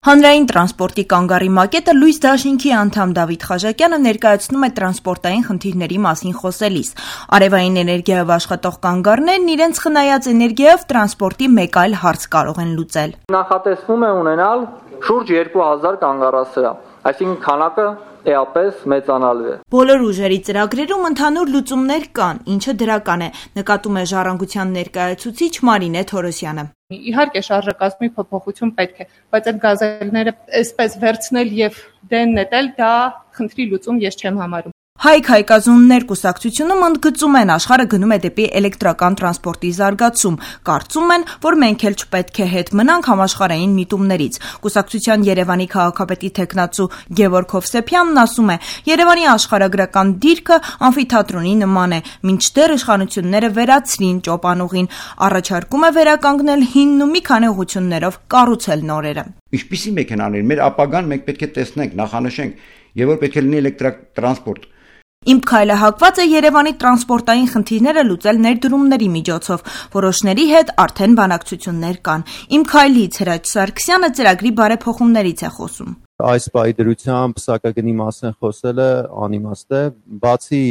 Հանրային տրանսպորտի կանգառի մակետը լույս դաշինքի անդամ Դավիթ Խաչակյանը ներկայացնում է տրանսպորտային խնդիրների մասին խոսելիս։ Արևային էներգիայով աշխատող կանգառներն իրենց խնայած էներգիայով տրանսպորտի մեկ այլ հարց կարող են լուծել։ Նախատեսվում է ունենալ շուրջ 2000 կանգառասրահ, այսինքն քանակը էապես մեծանալու է։ Բոլոր ուժերի ծրագրերում ընդհանուր լուծումներ կան, ինչը դրական է, նկատում է Ժառանգության ներկայացուցիչ Մարինե Թորոսյանը։ Իհարկե շարժակազմի փոփոխություն պետք է, բայց այդ գազելները այսպես վերցնել եւ դեն նետել, դա խնդրի լուծում ես չեմ համարում։ Հայք հայկազուններ կուսակցությունում ընդգծում են աշխարհը գնում է դեպի էլեկտրական տրանսպորտի զարգացում, կարծում են, որ մենք էլ չպետք է հետ մնանք համաշխարհային միտումներից։ Կուսակցության Երևանի քաղաքապետի թեկնածու Գևորգ Հովսեփյանն ասում է. Երևանի աշխարհագրական դիրքը ամֆիթատրոնի նման է, մինչդեռ իշխանությունները վերացրին ճոպանուղին, առաջարկում է վերականգնել հինն ու մի քանի ուղղություններով կառուցել նորերը։ Ինչպիսի մեքենաներ, մեր ապագան մենք պետք է տեսնենք, նախանշենք, եւ որ պետք է լինի էլեկտրատրանսպորտ։ Իմ քայլը հակված է Երևանի տրանսպորտային խնդիրները լուծել ներդրումների միջոցով։ Որոշների հետ արդեն բանակցություններ կան։ Իմ քայլից Հրաչ Սարգսյանը ծրագրի բարեփոխումներից է խոսում։ Այս բայդրությամբ սակագնի մասին խոսելը անիմաստ է, բացի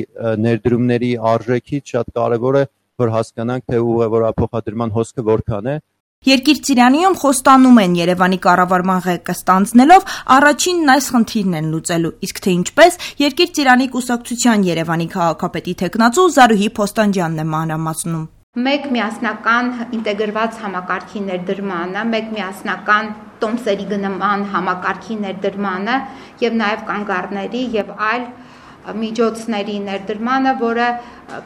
ներդրումների արժեքից շատ կարևոր է, որ հասկանանք, թե ուղևորափոխադրման հոսքը որքան է։ Երկիր Ծիրանիում խոստանում են Երևանի կառավարման ղեկը ստանձնելով առաջինն այս խնդիրն են լուծելու, իսկ թե ինչպես Երկիր Ծիրանի կուսակցության Երևանի քաղաքապետի թեկնածու Զարուհի Փոստանջյանն է մանրամասնում։ Մեկ միասնական ինտեգրված համակարգի ներդրմանը, մեկ միասնական տոմսերի գնման համակարգի ներդրմանը եւ նաեւ կանգառների եւ այլ միջոցների ներդրմանը, որը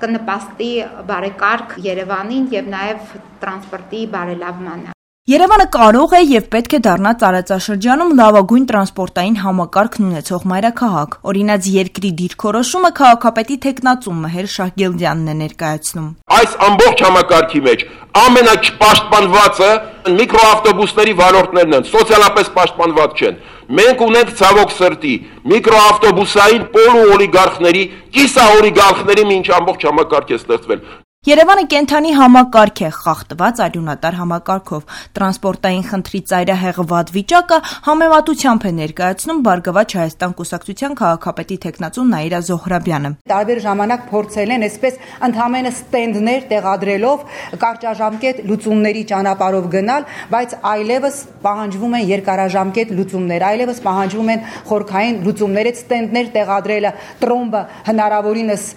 կնպաստի բարեկարգ Երևանին եւ նաեւ տրանսպորտի բարելավմանը։ Երևանը կարող է եւ պետք է դառնա տարածաշրջանում լավագույն տրանսպորտային համակարգն ունեցող մայրաքաղաք։ Օրինակ երկրի դիրքորոշումը քաղաքապետի թեկնածու Մհեր Շահգիլդյանն է ներկայացնում։ Այս ամբողջ համակարգի մեջ ամենաչպաշտպանվածը միկրոավտոբուսների վարորդներն են, սոցիալապես պաշտպանված չեն։ Մենք ունենք ցավոք սրտի միկրոավտոբուսային պոլուօլիգարխների, կիսաօլիգարխների մի ինչ ամբողջ համակարգ է ստեղծվել։ Երևանը կենթանի համակարգ է, խախտված արյունատար համակարգով։ Տրանսպորտային խնդրի ծայրահեղված վիճակը համեմատությամբ է ներկայացնում Բարգավաճ Հայաստան կուսակցության քաղաքապետի թեկնածու Նաիրա Զոհրաբյանը։ Տարբեր ժամանակ փորձել են այսպես ընդհանրապես ստենդներ տեղադրելով կարճաժամկետ լուծումների ճանապարհով գնալ, բայց այլևս պահանջվում են երկարաժամկետ լուծումներ, այլևս պահանջվում են խորքային լուծումներ, այդ ստենդներ տեղադրելը տրոմբը հնարավորինս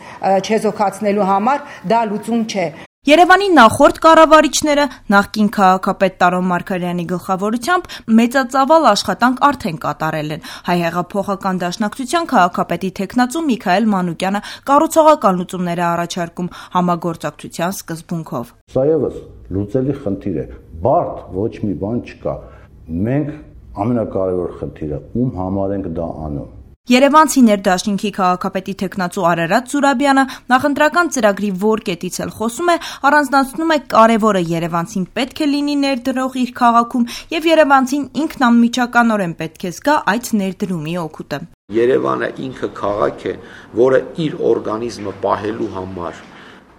չեզոքացնելու համար դա լուծում չէ։ Երևանի նախորդ կառավարիչները նախկին քաղաքապետ Տարոն Մարգարյանի գլխավորությամբ մեծածավալ աշխատանք արդեն կատարել են։ Հայ հեղափոխական դաշնակցության քաղաքապետի թեկնածու Միքայել Մանուկյանը կառուցողական լուծումներ է առաջարկում համագործակցության սկզբունքով։ Սա եւս լուծելի խնդիր է։ Բարդ ոչ մի բան չկա։ Մենք ամենակարևոր խնդիրը ում համար ենք դա անում։ Երևանցի ներդաշինքի քաղաքապետի թեկնածու Արարատ Զուրաբյանը նախընտրական ծրագրի որ կետից էլ խոսում է, առանձնացնում է կարևորը Երևանցին պետք է լինի ներդրող իր քաղաքում եւ Երևանցին ինքն անմիջականորեն պետք է զգա այդ ներդրումի օգուտը։ Երևանը ինքը քաղաք է, որը իր օրգանիզմը պահելու համար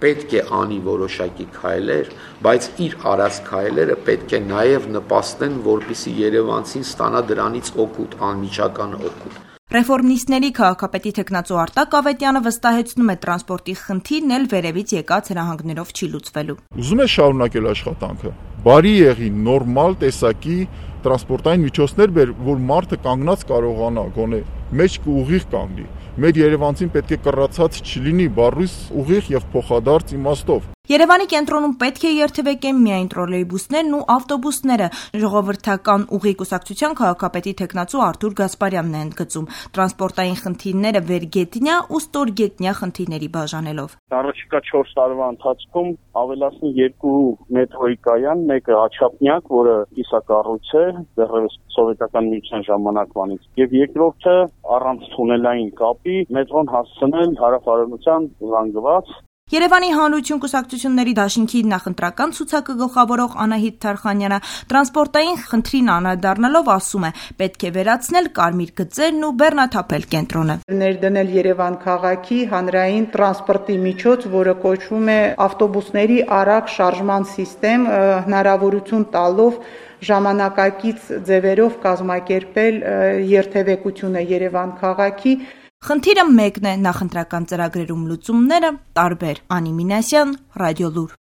պետք է անի որոշակի քայլեր, բայց իր արած քայլերը պետք է նաեւ նպաստեն, որպեսզի երևանցին ստանա դրանից օգուտ, անմիջական օգուտ։ Ռեֆորմիստների քաղաքապետի թեկնածու Արտակ Ավետյանը վստահեցնում է տրանսպորտի խնդիրն էլ վերևից եկած հրահանգներով չի լուծվելու։ Ուզում է շարունակել աշխատանքը։ Բարի եղի նորմալ տեսակի տրանսպորտային միջոցներ բեր, որ մարդը կանգնած կարողանա գոնե մեջքը ուղիղ կանգնի։ Մեր Երևանցին պետք է կռացած չլինի բառույս ուղիղ եւ փոխադարձ իմաստով։ Երևանի կենտրոնում պետք է երթևեկեն միայն տրոլեյբուսներն ու ավտոբուսները, ժողովրդական ուղի կուսակցության քաղաքապետի թեկնածու Արթուր Գասպարյանն է ընդգծում, տրանսպորտային խնդիրները վերգետնյա ու ստորգետնյա խնդիրների բաժանելով։ Առաջիկա 4 տարվա ընթացքում ավելացնի 2 մետրոյի կայան, մեկը Աչափնյակ, որը կիսակառույց է, դեռևս սովետական միության ժամանակվանից, եւ երկրորդը առանց թունելային կապի մետրոն հասցնել հարավ-արևմտյան զանգված Երևանի Հանրություն կուսակցությունների դաշինքի նախընտրական ցուցակը գլխավորող Անահիտ Թարխանյանը տրանսպորտային խնդրին անդրադառնալով ասում է, պետք է վերացնել կարմիր գծերն ու բեռնաթափել կենտրոնը։ Ներդնել Երևան քաղաքի հանրային տրանսպորտի միջոց, որը կոչվում է ավտոբուսների արագ շարժման սիստեմ, հնարավորություն տալով ժամանակակից ձևերով կազմակերպել երթևեկությունը Երևան քաղաքի։ Խնդիրը մեկն է, նախընտրական ծրագրերում լուծումները տարբեր։ Անի Մինասյան, Ռադիոլուր։